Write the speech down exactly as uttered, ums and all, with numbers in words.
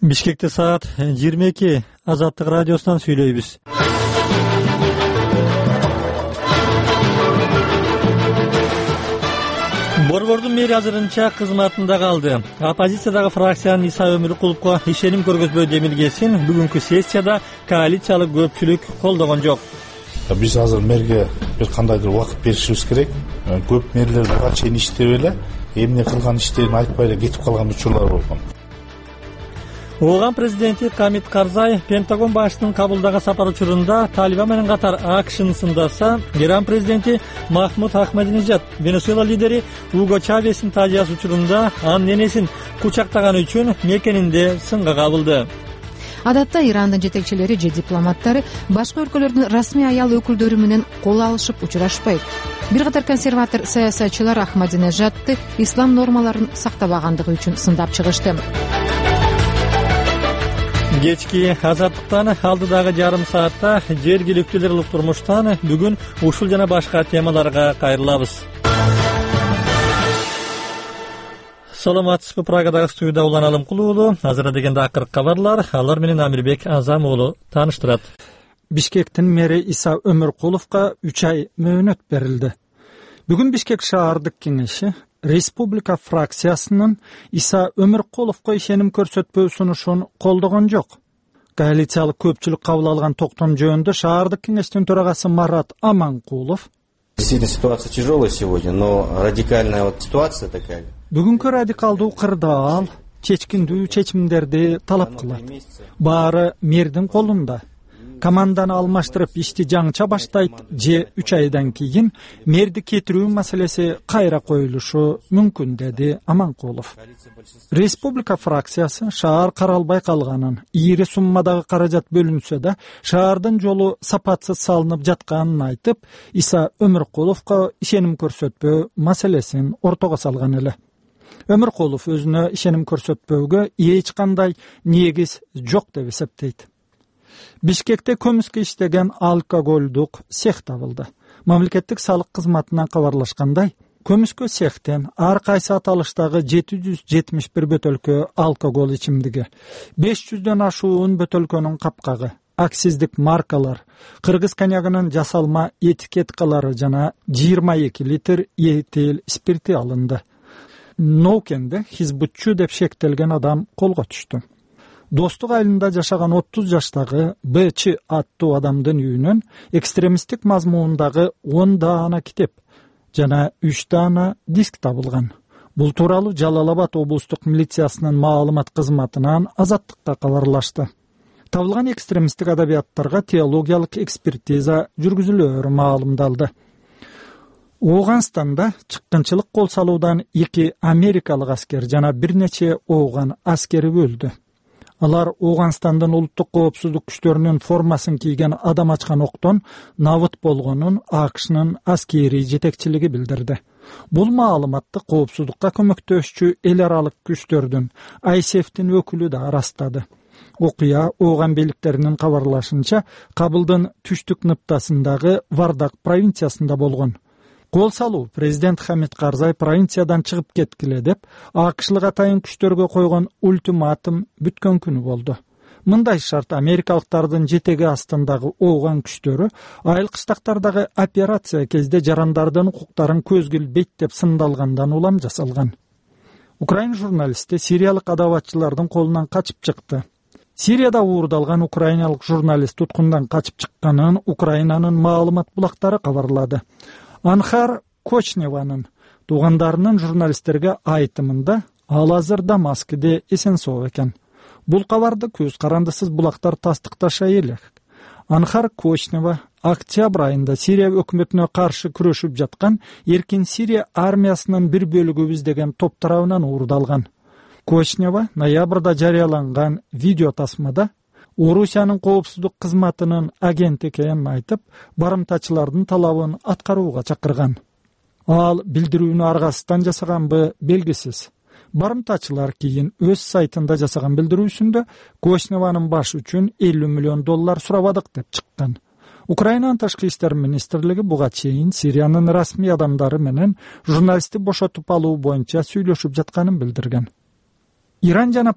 Бишкекте саат жыйырма эки. Азаттык радиосунан сүйлөйбүз. Борбордун мэри азырынча кызматында калды. Оппозициядагы фракциянын Иса Өмүркуловго ишеним көргөзбөө демилгесин бүгүнкү сессияда коалициялык көпчүлүк колдогон жок. Биз азыр мэрге бир кандайдыр убакыт беришибиз керек. Көп мэрлер буга чейин иштеп эле эмне кылган иштерин айтпай эле кетип калган учурлар болгон. Ооган президенти Камит Карзай Пентагон башчысынын Кабулдагы сапар учурунда Талибан менен катар АКШны сындаса, Иран президенти Махмуд Ахмадинежад Венесуэла лидери Уго Чавестин тажыясы учурунда анын энесин кучактаганы үчүн мекенинде сынга кабылды. Адатта Ирандын жетекчилери же дипломаттары башка өлкөлөрдүн расмий аял өкүлдөрү менен кол алышып учурашпайт. Бир катар консерватор саясатчылар Ахмадинежадты ислам нормаларын сактабагандыгы үчүн сындап чыгышты. Кечки азаттыктан алдыдагы жарым саатта жергиликтүүлөр турмуштан бүгүн ушул жана башка темаларга кайрылабыз. Саламатсызбы, Прагадагы студияда Улан Алымкул уулу. Азыр дегенде акыркы кабарлар, алар менен Амирбек Азам уулу тааныштырат. Бишкектин мэри Иса Өмүркуловго үч ай мөөнөт берилди. Бүгүн Бишкек шаардык кеңеши Республика фракциясынын Иса Өмүркуловго ишеним көрсөтпөө сунушун колдогон жок. Коалициялык көпчүлүк кабыл алган токтом жөнүндө шаардык кеңештин төрагасы Марат Аманкулов: Действительно, ситуация тяжелая сегодня, но радикальная вот ситуация такая. Бүгүнкү радикалдуу кырдаал чечкиндүү чечимдерди талап кылат. Баары мэрдин колунда. Команданы алмаштырып ишти жаңча баштайт же үч айдан кийин мэрди кетирүү маселеси кайра коюлушу мүмкүн, деди Аманкулов. Республика фракциясы шаар каралбай калганын, ийри суммадагы каражат бөлүнсө да шаардын жолу сапатсыз салынып жатканын айтып, Иса Өмүркуловго ишеним көрсөтпөө маселесин ортого салган эле. Өмүркулов өзүнө ишеним көрсөтпөөгө эч кандай негиз жок деп эсептейт. Бишкекте көмүскө иштеген алкоголдук цех табылды. Мамлекеттик салык кызматынан кабарлашкандай, көмүскө цехтен ар кайсы аталыштагы жети жүз жетимиш бир бөтөлкө алкогол ичимдиги, беш жүздөн ашуун бөтөлкөнүн капкагы, акциздик маркалар, кыргыз коньягынын жасалма этикеткалары жана жыйырма эки литр этил спирти алынды. Ноукенде хизбутчу деп шектелген адам колго түштү. Достук айылында жашаган отуз жаштагы Б.Ч. аттуу адамдын үйүнөн экстремисттик мазмуундагы он даана китеп жана үч даана диск табылган. Бул тууралуу Жалал Абад облустук милициясынын маалымат кызматынан Азаттыкка кабарлашты. Табылган экстремисттик адабияттарга теологиялык экспертиза жүргүзүлөөрү маалымдалды. Ооганстанда чыккынчылык кол салуудан эки америкалык аскер жана бир нече ооган аскери өлдү. Алар Ооганстандын улуттук коопсуздук күчтөрүнүн формасын кийген адам ачкан октон набыт болгонун АКШнын аскери жетекчилиги билдирди. Бул маалыматты коопсуздукка көмөктөшчү эл аралык күчтөрдүн ай эс эфтин өкүлү да ырастады. Окуя Ооган бийликтеринин кабарлашынча Кабылдын түштүк ныптасындагы Вардак провинциясында болгон. Кол салуу президент Хамит Карзай провинциядан чыгып кеткиле деп АКШлык атайын күчтөргө койгон ультиматум бүткөн күнү болду. Мындай шарт америкалыктардын жетеги астындагы Ооган күчтөрү айыл кыштактардагы операция кезде жарандардын укуктарын көзгө илбейт деп сындалгандан улам жасалган. Украин журналисти сириялык адабатчылардын колунан качып чыкты. Сирияда уурдалган украиналык журналист туткундан качып чыкканын Украинанын маалымат булактары кабарлады. Анхар Кочневанын туугандарынын журналисттерге айтымында ал азыр Дамаскиде эсен-соо экен. Бул кабарды көз карандысыз булактар тастыкташай элек. Анхар Кочнева октябрь айында Сирия өкмөтүнө каршы күрөшүп жаткан Эркин Сирия армиясынын бир бөлүгүбүз деген топ тарабынан уурдалган. Кочнева ноябрда жарыяланган видео тасмада Орусиянын коопсуздук кызматынын агенти экенин айтып, барымтачылардын талабын аткарууга чакырган. Ал билдирүүнү аргасыздан жасаганбы белгисиз. Барымтачылар кийин өз сайтында жасаган билдирүүсүндө Кочневанын башы үчүн элүү миллион доллар сурабадык деп чыккан. Украинанын ташкы иштер министрлиги буга чейин Сириянын расмий адамдары менен журналистти бошотуп алуу боюнча сүйлөшүп жатканын билдирген. Иран жана